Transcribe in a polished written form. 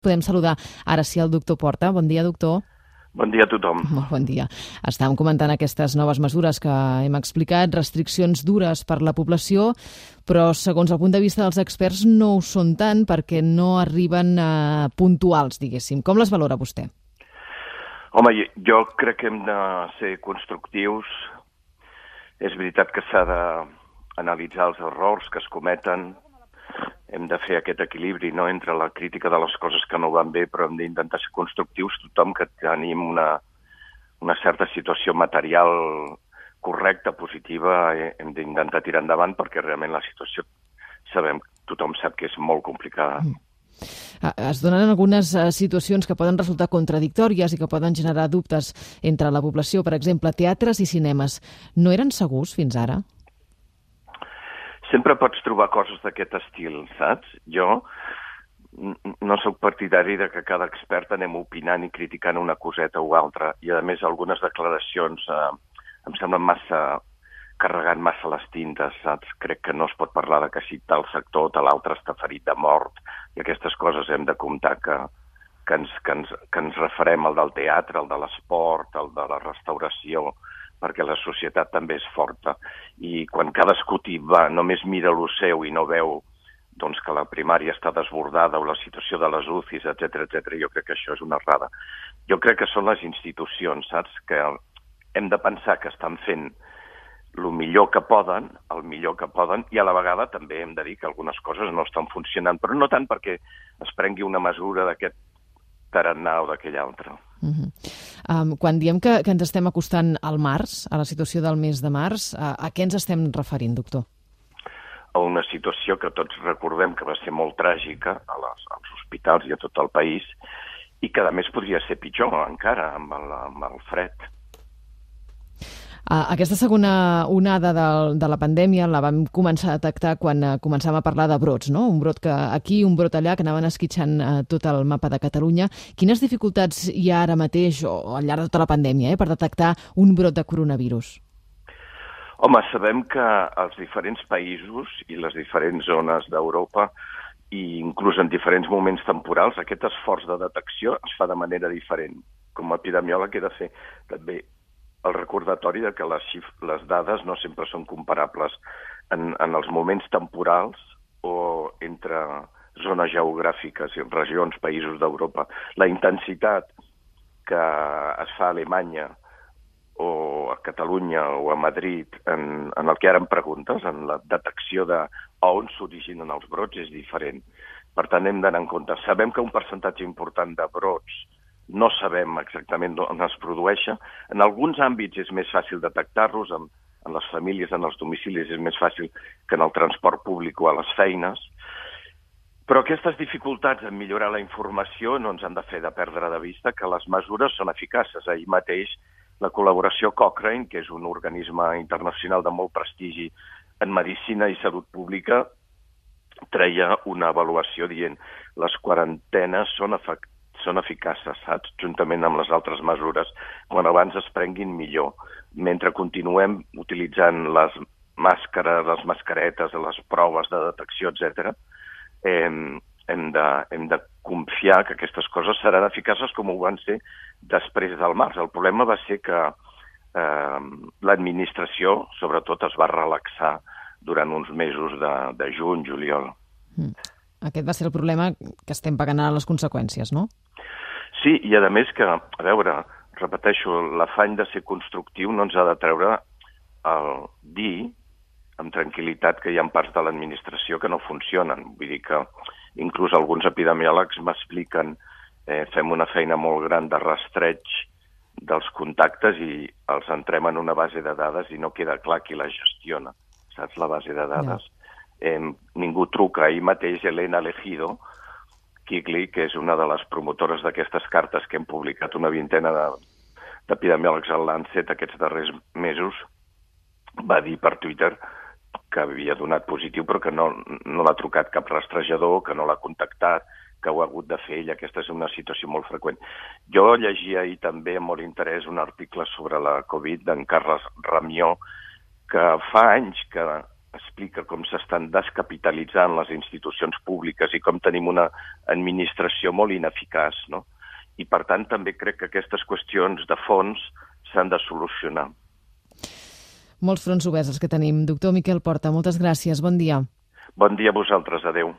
Podem saludar ara sí el doctor Porta. Bon dia, doctor. Bon dia a tothom. Molt bon dia. Estàvem comentant aquestes noves mesures que hem explicat, restriccions dures per la població, però segons el punt de vista dels experts no ho són tant perquè no arriben puntuals, diguéssim. Com les valora vostè? Home, jo crec que hem de ser constructius. És veritat que s'ha d'analitzar els errors que es cometen. Hem de fer aquest equilibri, no?, entre la crítica de les coses que no van bé, però hem d'intentar ser constructius tothom que tenim una certa situació material correcta, positiva, hem d'intentar tirar endavant perquè realment la situació tothom sap que és molt complicada. Es donen algunes situacions que poden resultar contradictòries i que poden generar dubtes entre la població. Per exemple, teatres i cinemes. No eren segurs fins ara? Sempre pots trobar coses d'aquest estil, saps? Jo no sóc partidari de que cada expert anem opinant i criticant una coseta o altra. I, a més, algunes declaracions em semblen carregant massa les tintes, saps? Crec que no es pot parlar de que si tal sector o tal altre està ferit de mort. I aquestes coses hem de comptar que ens referem al del teatre, al de l'esport, al de la restauració, perquè la societat també és forta. I quan cadascú només mira lo seu i no veu que la primària està desbordada o la situació de les UCIs, etc, jo crec que això és una errada. Jo crec que són les institucions, saps? Que hem de pensar que estan fent el millor que poden, i a la vegada també hem de dir que algunes coses no estan funcionant, però no tant perquè es prengui una mesura d'aquest tarannà o d'aquell altre. Quan diem que ens estem acostant al març, a la situació del mes de març, a què ens estem referint, doctor? A una situació que tots recordem que va ser molt tràgica als hospitals i a tot el país i que a més podria ser pitjor encara amb el fred. Aquesta segona onada de la pandèmia la vam començar a detectar quan començàvem a parlar de brots, no? Un brot que aquí, un brot allà, que anaven esquitxant tot el mapa de Catalunya. Quines dificultats hi ha ara mateix o al llarg de tota la pandèmia per detectar un brot de coronavirus? Home, sabem que els diferents països i les diferents zones d'Europa i inclús en diferents moments temporals aquest esforç de detecció es fa de manera diferent. Com a epidemiòleg he de fer també el recordatori de que les dades no sempre són comparables en els moments temporals o entre zones geogràfiques i regions, països d'Europa. La intensitat que es fa a Alemanya o a Catalunya o a Madrid en el que ara em preguntes, en la detecció d'on s'originen els brots, és diferent. Per tant, hem d'anar en compte. Sabem que un percentatge important de brots no sabem exactament on es produeixen. En alguns àmbits és més fàcil detectar-los, en les famílies, en els domicilis, és més fàcil que en el transport públic o a les feines. Però aquestes dificultats en millorar la informació no ens han de fer de perdre de vista que les mesures són eficaces. Ahir mateix la col·laboració Cochrane, que és un organisme internacional de molt prestigi en medicina i salut pública, treia una avaluació dient les quarantenes són eficaces, saps? Juntament amb les altres mesures, quan abans es prenguin millor. Mentre continuem utilitzant les màscares, les mascaretes, les proves de detecció, etc., hem de confiar que aquestes coses seran eficaces com ho van ser després del març. El problema va ser que l'administració, sobretot, es va relaxar durant uns mesos de juny, juliol. Aquest va ser el problema que estem pagant ara les conseqüències, no? Sí, i a més que, a veure, repeteixo, l'afany de ser constructiu no ens ha de treure el dir amb tranquil·litat que hi ha parts de l'administració que no funcionen. Vull dir que inclús alguns epidemiòlegs m'expliquen fem una feina molt gran de rastreig dels contactes i els entrem en una base de dades i no queda clar qui la gestiona, saps, la base de dades. Ningú truca. Ahir mateix Elena Legido, Kigley, que és una de les promotores d'aquestes cartes que hem publicat una vintena d'epidemiòlegs al Lancet aquests darrers mesos, va dir per Twitter que havia donat positiu però que no l'ha trucat cap rastrejador, que no l'ha contactat, que ho ha hagut de fer ell. Aquesta és una situació molt freqüent. Jo llegia ahir també amb molt interès un article sobre la Covid d'en Carles Ramió, que fa anys que explica com s'estan descapitalitzant les institucions públiques i com tenim una administració molt ineficaç, no? I, per tant, també crec que aquestes qüestions de fons s'han de solucionar. Molts fronts oberts els que tenim. Doctor Miquel Porta, moltes gràcies. Bon dia. Bon dia a vosaltres. Adéu.